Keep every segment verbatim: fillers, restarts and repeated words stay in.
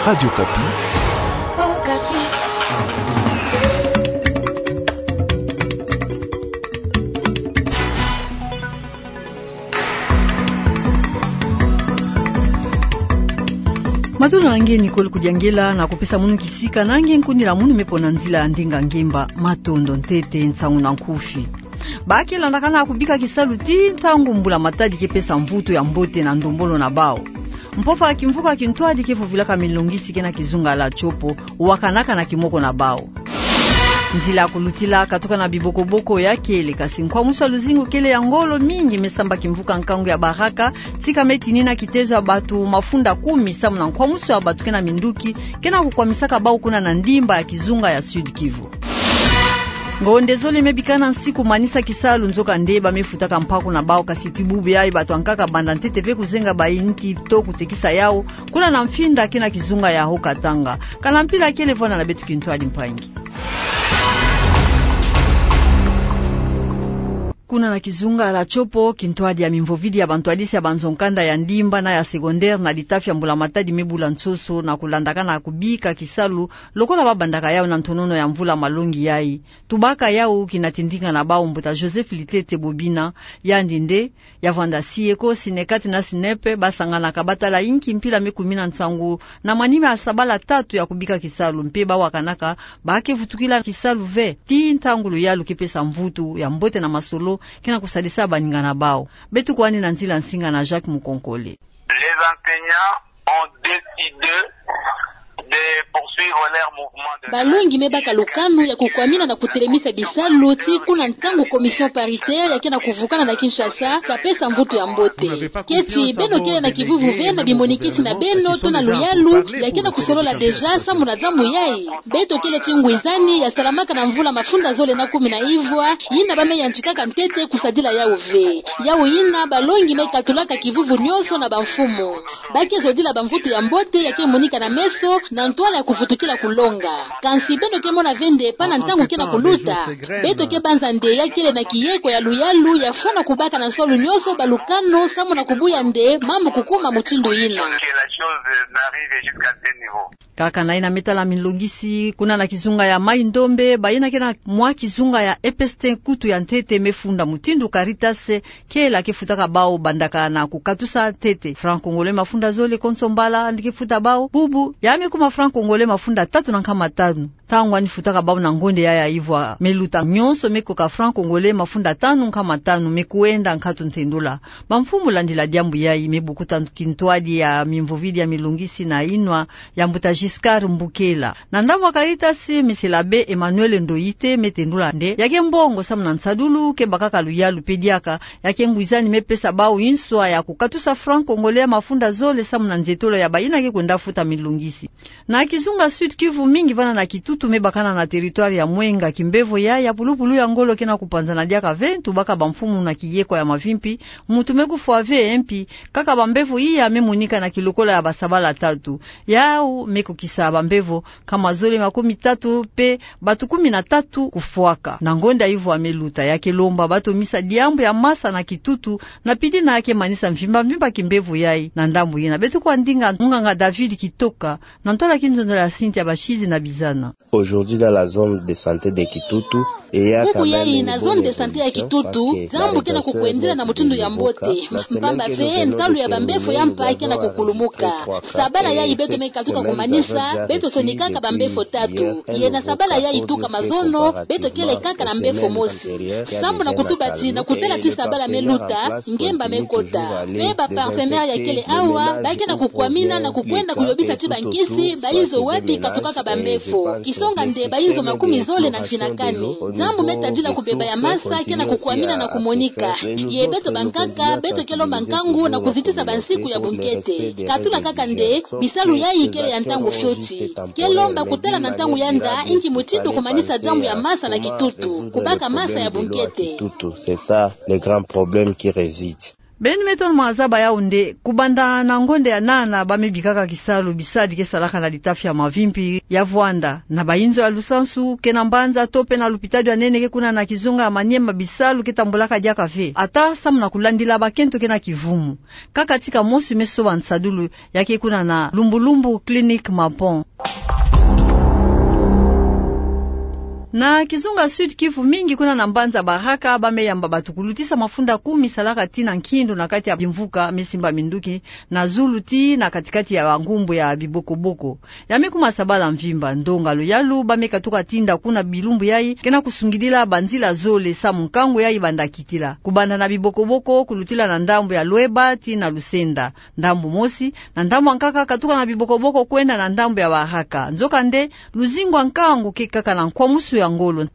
Radio Okapi. Matondo na nge Nicole Kudiangela, na kupesa munu kisika na nge nkundila munu me pona nzila ya ndinga ngemba. Matondo. Ntete nsangu na nkufi. Ba ke landakana kubika kisalu tii ntangu mbula matadi ke pesa mvutu ya mbote na ndombolo na bawu. Mpova ya kimvuka kintwadi ke vuvilaka milongisi ke na kizunga la Tshopo, wakanaka na kimoko na bawu. Nzila ya kulutila katuka na bibokoboko ya kele, kasi nkwamusu ya luzingu kele ya ngolo mingi me samba kimvuka nkangu ya Baraka, tika me tinina kitezo ya batu mafunda kumi samu na nkwamusu ya batu ke na minduki ke na kukwamisaka bawu kuna na ndimba ya kizunga ya Sud-Kivu. Ngonde zole me bikana nsi kumanisa kisalu, nzokande ba me futaka mpaku na bawu, kasi tii bubu yayi batu ankaka banda ntete ve kuzenga ba inki to kutekisa yawu kuna na Mfinda ke na kizunga ya Haut-Katanga. Kana mpila kele, vwanda na beto kintwadi mpangi. Kuna na kizunga la Tshopo, kintwadi ya mimvovidi ya bantwadisi ya banzo-nkanda ya ndimba na ya secondaire na litafi ya mbula matadi me bula nsoso na kulandakana kubika kisalu lokola ba bandaka yawu na ntonono ya mvula malongi yayi. Tubaka yawu kina tindinga na bawu mbuta Joseph Litete Bobina, yandi nde ya vwanda SIECO, SYNECAT na SNEP, ba sanganaka ba tala inki mpila me kumina nsangu na manima ya sabala tatu ya kubika kisalu, mpe ba wakanaka ba ke vutukila kisalu ve tii ntangu luyalu ke pesa mvutu ya mbote na masolo ke na kusadisa baninga na bawu. Beto kwandi na nzila nsinga na Jacques Mukonkole. Les enseignants ont décidé de poursuivre leur mouvement de grève. Balongi me baka lukanu ya kukwamina na kutelemisa bisalu tii kuna ntangu commission paritaire ya ke na kuvukana na Kinshasa ka pesa mvutu ya mbote. Keti beno kele na kivuvu ve na bimonikisi na beno to na luyalu ya ke na kusolola déjà samu na diambu yayi? Beto kele tii ngwizani ya salamaka na mvula mafunda zole na kumi na ivwa, yina ba me yantikaka ntete kusadila yawu ve. Yawu yina balongi me katulaka kivuvu nionso na bamfumu. Ba ke zodila bamvutu ya mbote ya ke monika na meso na ntwala ya kuvutukila kulonga. Kansi beno ke mona ve nde pana ntangu ke na kuluta? Beto ke banza nde ya kele na kiyeko ya luyalu ya fwana kubaka na nswalu nionso balukanu samu na kubuya nde mambu kukuma mutindu yina. Kaka na yina me tala milongisi, kuna na kizunga ya Mai-Ndombe, bayina ke na mwa kizunga ya EPST, nkutu ya ntete me funda mutindu Caritas, kela ke futaka bawu bandaka na kukatusa ntete franc congolais mafunda zole konso mbala, yandi ke futa bawu bubu ya me kuma franc congolais mafunda tatu na nkama tanu. Ntangu yandi futaka bawu na ngonde yayi ya ivwa me luta, nionso me koka franc congolais mafunda tanu nkama tanu, me kwenda nkatu ntendula. Bamfumu landila diambu yayi me bukuta kintwadi ya mimvovidi ya milongisi na yinwa ya mbuta Giscard Mbukela. Na ndambu ya Caritas, Monsieur l'Abbé Emmanuel Ndoite me tendula nde ya ke mbongo samu na nsadulu ke bakaka luyalu mpe diaka, ya ke ngwizani me pesa bawu inswa ya kukatusa franc congolais mafunda zole samu na nzietolo ya bayina ke kwenda futa milongisi. Na kizunga Sud-Kivu, mingi vana na Kitutu me bakana na territoire ya Mwenga, kimbevo ya, ya pulupulu ya ngolo ke na kupanzana diaka ve, tubaka bamfumu na kiyeko ya mavimpi, mutu me kufwa ve, mpi kaka bambevo iya me monika na kilokola ya basabala tatu. Yawu me kokisa bambevo nkama zole makumi tatu mpe batu kumi na tatu kufwaka. Na ngonda ivwa me luta, ya ke lomba bato misa diambu ya masa na Kitutu, na pidi na ya ke manisa mvimba mvimba kimbevo yayi. Na ndambu yina, beto kwa ndinga munganga David Kitoka, na ntwala kinzonzolo ya Cynthia Bashizi na Bizana. Aujourd'hui, dans la zone de santé de Kitutu, bubu yayi na zone de santé ya Kitutu, diambu ke na kukwendela na mutindu ya mbote. Mpamba ve, ntalu ya bambevo ya mpa ke na kukulumuka. Sabala yayi beto me katuka kumanisa, beto sonikaka bambevo tatu. Ye na sabala yayi tuka mazono, beto kele kaka na mbevo mosi. Samu na kutubati na kutala ti sabala me luta, ngemba me kota. Mpe ba partenaires ya kele awa, ba ke na kukwamina na kukwenda kuyobisa ti bankisi, bayizo wapi katukaka bambevo. Kisonga nde bayizo makumi zole na mfina kani. Diambu me tadila kubeba ya masa ke na kukwamina na kumonika. Ye beto bankaka, beto ke lomba nkangu na kuzitisa bansiku ya bunkete. Katula kaka nde, bisalu yayi kele ya ntangu fioti. Ke lomba kutala na ntangu yanda, inki mutindu kumanisa diambu ya masa na Kitutu. Kubaka masa ya bunkete. C'est ça le grand problème qui réside. Beno me tono mazaba yau nde, kubanda na ngonde ya nana ba me bikaka kisalu bisadi ke salaka na litafi ya Mavimpi ya Vuanda, na bayinzo ya lusansu, ke na mbanza to pe na lupitalu ya nene ke kuna na kizunga ya Maniema, bisalu ke tambulaka diaka ve, ata samu na kulandila bakento ke na kivumu. Kaka tika mosi me soba nsadulu, ya ke kuna na Lumbulumbu Clinique Mapon. Na kizunga Sud-Kivu, mingi kuna na mbanza Baraka ba me yamba bato kulutisa mafunda kumi salaka tii na nkindu na kati ya bimvuka me simba minduki na zulu tii na kati-kati ya bangumbu ya bibokoboko. Ya me kuma sabala mvimba. Ndonga luyalu ba me katuka tinda kuna bilumbu yayi ke na kusungidila banzila zole samu nkangu yayi banda kitila, kubanda na bibokoboko kulutila na ndambu ya Lueba tii na Lusenda, ndambu mosi, na ndambu ya nkaka katuka na bibokoboko kwenda na ndambu ya Baraka. Nzokande, luzingu ya nkangu ke kaka na nkwamusu ya ngolo.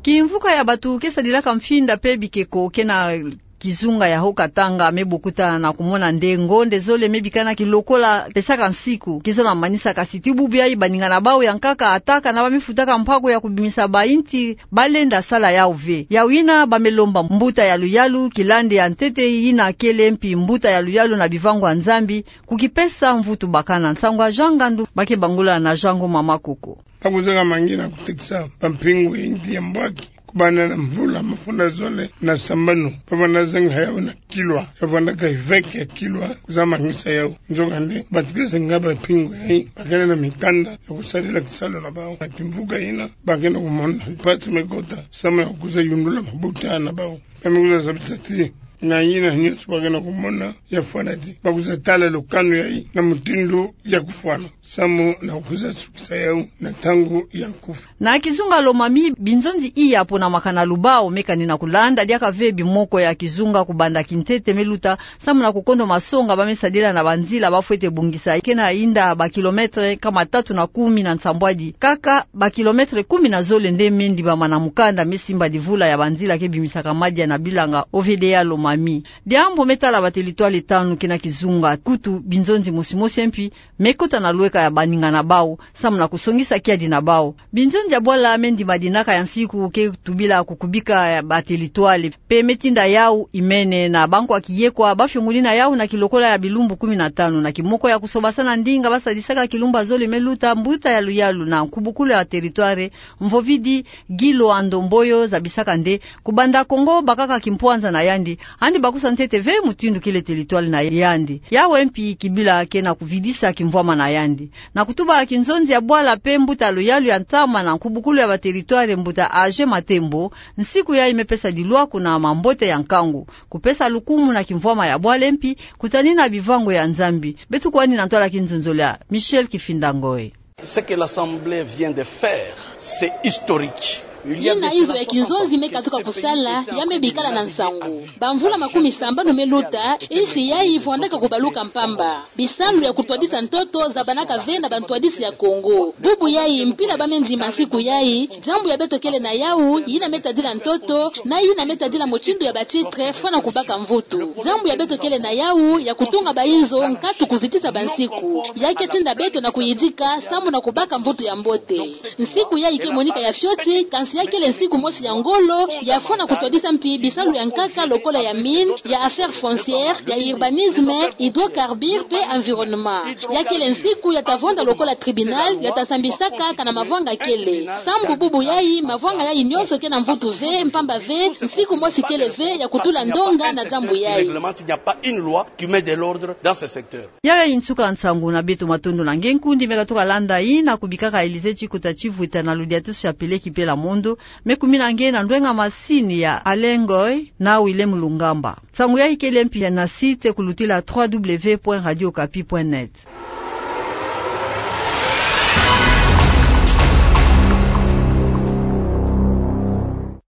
Kimvuka ya bato ke sadilaka mfinda pe bikeko ke na kizunga ya Haut-Katanga me bokutana na kumona nde ngonde zole me bikana ki lokola pesaka nsiku, kizola manisa, kasi tii bubu yayi baninga na bau ya nkaka ata kana ba me futaka mpako ya kubimisa bainti, ba lenda sala yau ve. Yau yina ba me lomba mbuta ya luyalu, kilandi ya ntete yina kele mpi mbuta ya luyalu na bivangu ya Nzambi, kukipesa mvutu bakana. Nsangu ya Jean Ngandu, ba ke bangula na Jean Ngoma Makoko. Bakuzaka mangi na kutekisa bampingu ya inti ya mbwaki, kubanda na mvula, mafunda zole na sambanu, ba vanda zenga yau na kilwa, ya vanda ka iveke ya kilwa, kuzamangisa yau. Nzokande, bato ke zenga bampingu yayi, ba kele na mikanda ya kusadila kisalu na bau. Na kimvuka yina, ba ke na kumona mpasi me kota, samu ya kuzayundula mabuta na bau. Ba me kuzazabisa tii, na yina nyonso ba ke na kumona, ya fwana tii, ba kuzatala lukanu yayi na mutindu ya kufwana, samu na kuzasukisa yau na ntangu ya nkufi. Na kizunga Lomami, binzonzi iya pona makana lubao me kani na kulanda diaka ve bimoko ya kizunga kubanda kintete me luta, samu na kukondo masonga ba me sadila na banzila ba fwete bongisa, ke na yinda ba kilometre nkama tatu na kumi na nsambwadi. Kaka ba kilometre kumi na zole nde me ndibama na mukanda me simba divula ya banzila ke bimisaka madia na bilanga O V D A Lomami. Diambu me tala ba territoire tanu ke na kizunga, kutu binzonzi mosi mosi mpi me kota na lweka ya baninga na bau, samu na kusongisa kiadi na bau. Binzonzi ya bwala me ndima dinaka ya nsiku ke tubila kukubika ya ba territoire, pe me tinda yau imene na bankwa kiyekwa ba fiongunina yau na kilokola ya bilumbu kumi na tanu. Na kimoko ya kusobasana ndinga ba sadisaka kilumbu ya zole me luta, mbuta ya luyalu na nkubukulu ya territoire, Mvovidi Guy Loando Mboyo, zabisaka nde, kubanda Kongo bakaka kimpwanza na yandi, yandi bakusa ntete ve mutindu kele territoire na yandi. Yawe mpi kibila ke na kuvidisa kimvwama na yandi. Na kutuba kinzonzi ya bwala pe mbuta luyalu ya ntama na nkubukulu ya ba territoire, mbuta Age Matembo, nsiku yayi me pesa dilwaku na mambote ya nkangu, kupesa lukumu na kimvwama ya bwala mpi, kutanina bivangu ya Nzambi. Beto kwani na ntwala kinzonzolo ya Michel Kifinda Ngoi. Ce que l'Assemblée vient de faire, c'est historique. Yina inzo ya kinzonzi me katuka kusala, ya me bikala na nsangu. Bamvula makumi sambanu me luta, insi yayi vwandaka kubaluka mpamba. Bisalu ya kutwadisa ntoto zabanaka ve na bantwadisi ya Kongo. Bubu yayi, mpila ba me ndima nsiku yayi, diambu ya beto kele na yau, yina me tadila ntoto, na yina me tadila mutindu ya ba titre, fwana kubaka mvutu. Diambu ya beto kele na yau, ya kutunga bainzo, nkatu kuzitisa bansiku. Ya ke tinda beto na kuyidika, samu na kubaka mvutu ya mbote. Nsiku yayi ke monika ya fioti, kansi ya kele nsiku mosi ya ngolo, ya fwana kutwadisa mpi bisalu ya nkaka lokola ya mine, ya affaires foncières, ya urbanisme, hydrocarbures pe environnement. Ya kele nsiku ya ta vonda lokola tribunal, ya ta sambisaka kana mavwanga kele. Sambu bubu yayi, mavwanga yayi nyonso ke na mvutu ve, mpamba ve, nsiku mosi kele ve ya kutula ndonga na diambu yayi. Il n'y a pas une loi qui met de l'ordre dans ce secteur. Yayi nsuka nsangu na beto, matondo na nge nkundi me katuka landa. Yina kubikaka Elysée Chikota Chivwita na Laudato Si' Apele Kipela Mondo, me kumina nge na ndwenga masini ya Alain Ngoy na Willem Lungamba. Nsangu yayi kele mpi na site kulutila trois W point radio okapi point net.